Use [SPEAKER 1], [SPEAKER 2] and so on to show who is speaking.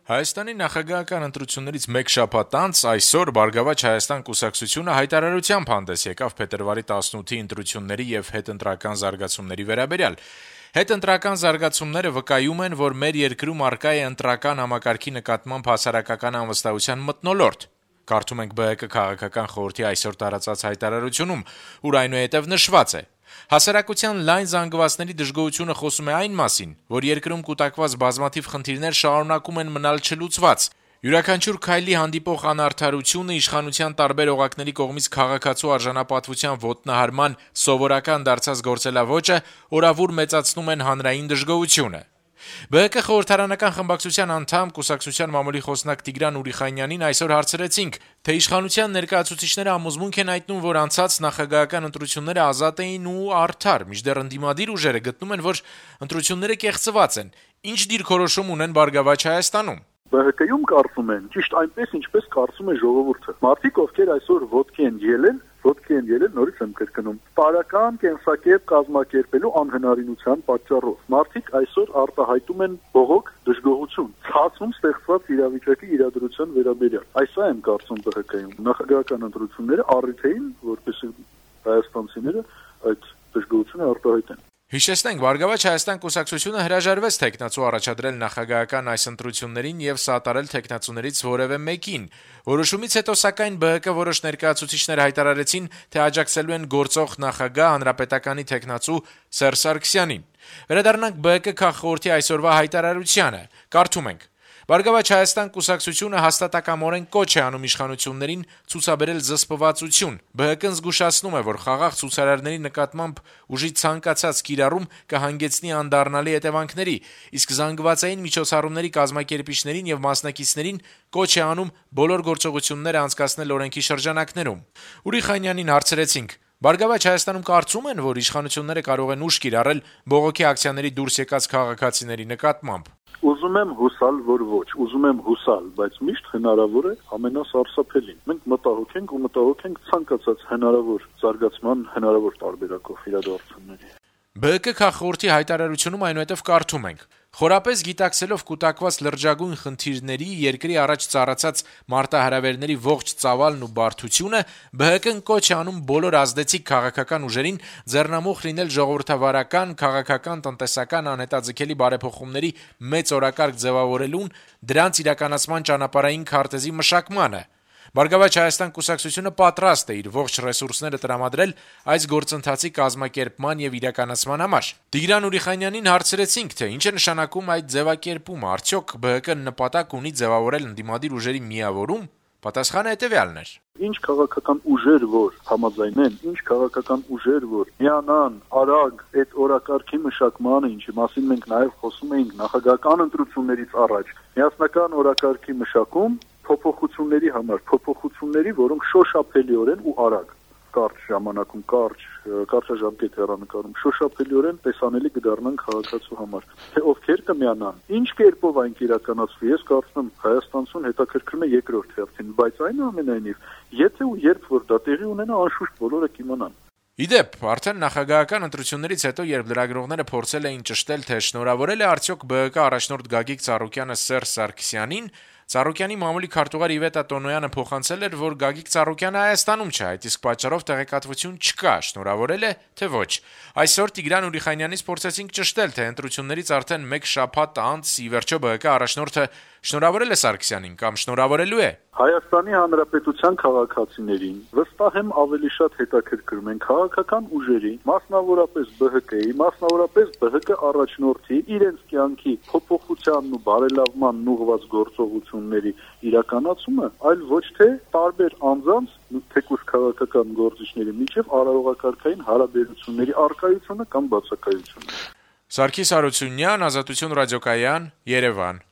[SPEAKER 1] Հայաստանի նախագահական ընտրություններից մեկ շաբաթ անց այսօր «Բարգավաճ Հայաստան» կուսակցությունը հայտարարությամբ հանդես եկավ փետրվարի 18-ի ընտրությունների եւ հետընտրական զարգացումների վերաբերյալ։ Հետընտրական զարգացումները վկայում են, որ մեր երկրում առկա է ընտրական համակարգի նկատմամբ հասարակական անվստահության մթնոլորտ։ Կարդում ենք ԲՀԿ քաղաքական խորհրդի այսօր տարածած հայտարարությունում, ուր այնուհետև նշված է. «Հասարակության լայն զանգվածների դժգոհությունը խոսում է այն մասին, որ երկրում կուտակված բազմաթիվ խնդիրներ շարունակում են մնալ չլուծված։ Յուրաքանչյուր քայլի հանդիպող անարդարությունը, իշխանության տարբեր օղակների կողմից քաղաքացու արժանապատվության ոտնահարման սովորական դարձած գործելավոճը օրավուր մեծացնում են հանրային դժգոհությունը»։ ԲՀԿ խորհրդարանական խմբակցության անդամ, կուսակցության մամուլի խոսնակ Տիգրան Ուրիխանյանին այսօր հարցրեցինք, թե իշխանության ներկայացուցիչները համոզմունք են հայտնում, որ անցած նախագահական ընտրությունները ազատ էին ու արդար, մինչդեռ ընդդիմադիր ուժերը գտնում են, որ ընտրությունները կեղծված են։ Ինչ դիրքորոշում ունեն «Բարգավաճ Հայաստանում»։
[SPEAKER 2] ԲՀԿ-ում կարծում են ճիշտ այնպես, ինչպես կարծում է ժողովուրդը։ Մարդիկ, ովքեր այսօր ոտքի են ելել, նորից եմ կրկնում, տարական կենսակերպ կազմակերպելու անհնարինության պատճառով։ Մարդիկ այսօր արտահայտում են բողոք, դժգոհություն, ցածում ստեղծված իրավիճակի իրադրության վերաբերյալ։ Այսա եմ կարծում ԲՀԿ-ում։ Նախագահական ընտրությունները առիթ էին, որպեսզի հայաստանցիները այդ դժգոհությունը արտահայտեն։
[SPEAKER 1] Հիշեցնենք, «Բարգավաճ Հայաստան» կուսակցությունը հրաժարվեց թեկնածու առաջադրել նախագահական այս ընտրություններին եւ սատարել թեկնածուներից որեւէ մեկին։ Որոշումից հետո, սակայն, ԲՀԿ որոշ ներկայացուցիչներ հայտարարեցին, թե աջակցելու են գործող նախագահ հանրապետականի թեկնածու Սերժ Սարգսյանին։ Վերադառնանք ԲՀԿ քաղխորհրդի այսօրվա հայտարարությանը։ Կարդում ենք. «Բարգավաճ Հայաստան» կուսակցությունը հաստատակամորեն կոչ է անում իշխանություններին ցուցաբերել զսպվածություն։ ԲՀԿ-ն զգուշացնում է, որ խաղաղ ցուցարարների նկատմամբ ուժի ցանկացած կիրառում կհանգեցնի անդառնալի հետևանքների, իսկ զանգվածային միջոցառումների կազմակերպիչներին եւ մասնակիցներին կոչ է անում բոլոր գործողությունները անցկացնել օրենքի շրջանակներում։ Ուրիխանյանին հարցրեցինք. «Բարգավաճ Հայաստանում կարծում են, որ իշխանությունները կարող են ուժ կիրառել բողոքի ակցիաների դուրս եկած քաղաքացիների նկատմամբ»։
[SPEAKER 2] Ուզում եմ հուսալ, որ ոչ, ուզում եմ հուսալ, բայց միշտ հնարավոր է ամենասարսափելին։ Մենք մտահոգ ենք ցանկացած հնարավոր զարգացման, հնարավոր տարբերակով իրադարձությունների։
[SPEAKER 1] ԲՀԿ քաղխորհրդի հայտարարությունում այնուհետև կարդում ենք. «Խորապես գիտակցելով կուտակված լրջագույն խնդիրների, երկրի առաջ ծառացած մարտահրավերների ողջ ծավալն ու բարդությունը, ԲՀԿ-ն կոչ է անում բոլոր ազդեցիկ քաղաքական ուժերին ձեռնամուխ լինել ժողովրդավարական, քաղաքական, տնտեսական անհետաձգելի բարեփոխումների մեծ օրակարգ ձևավորելուն, դրանց իրականացման ճանապարհային քարտեզի մշակմանը։ Բարգավաճ Հայաստան կուսակցությունը պատրաստ է իր ողջ ռեսուրսները տրամադրել այս գործընթացի կազմակերպման եւ իրականացման համար»։ Տիգրան Ուրիխանյանին հարցրեցինք, թե ինչ է նշանակում այդ ձևակերպումը, արդյոք ԲՀԿ-ն նպատակ ունի ձևավորել ընդդիմադիր ուժերի միավորում։ Պատասխանը հետեւյալն էր.
[SPEAKER 2] Ինչ քաղաքական ուժեր, որ համաձայնեն, ինչ քաղաքական ուժեր, որ միանան արագ այդ օրակարգի մշակմանը, ինչի մասին մենք նաեւ խոսում էինք նախագահական ընտրություններից առաջ, միասնական օրակարգի մշակում փոփոխությունների համար, որոնք շոշափելիորեն ու արագ, կարճ ժամանակում, կարճաժամկետ հեռանկարում, շոշափելիորեն տեսանելի կդառնան քաղաքացու համար, թե ովքեր կմիանան, ինչ կերպով այն կիրականացվի, ես կարծում եմ Հայաստանցուն հետաքրքրում է երկրորդ հերթին, բայց այնուամենայնիվ, եթե ու երբ որ դա տեղի ունենա, անշուշտ բոլորը կիմանան։
[SPEAKER 1] Իդեպ, արդեն նախագահական ընտրություններից հետո, երբ լրագրողները փորձել էին ճշտել, թե շնորհավորել է արդյոք ԲՀԿ առաջնորդ Գագիկ Ծառուկյանը Սերժ Սարգսյանին, Ծառուկյանի մամուլի քարտուղար Իվետա Տոնոյանը փոխանցել էր, որ Գագիկ Ծառուկյանը Հայաստանում չէ, այդ իսկ պատճառով տեղեկատվություն չկա, շնորհավորել է, թե ոչ։ Այսօր Տիգրան Ուրիխանյանից փորձեցինք ճշտել, թե ընտրություններից արդեն մեկ շաբաթ անց ի վերջո ԲՀԿ առաջնորդը շնորհավորել է Սարգսյանին կամ շնորհավորելու է։
[SPEAKER 2] Հայաստանի Հանրապետության քաղաքացիներին վստահ եմ ավելի շատ հետաքրքրում են քաղաքական ուժերի, մասնավորապես ԲՀԿ-ի, մասնավորապես ԲՀԿ առաջնորդի իրենց կյանքի փոփոխությանն ու բարելավմանն ուղղված գործողությունների իրականացումը, այլ ոչ թե տարբեր անձանց, թեկուզ քաղաքական գործիչների միջև արարողակարգային հարաբերությունների առկայությունը կամ բացակայությունը։
[SPEAKER 1] Սարգիս Հարությունյան, Ազատություն ռադիոկայան, Երևան։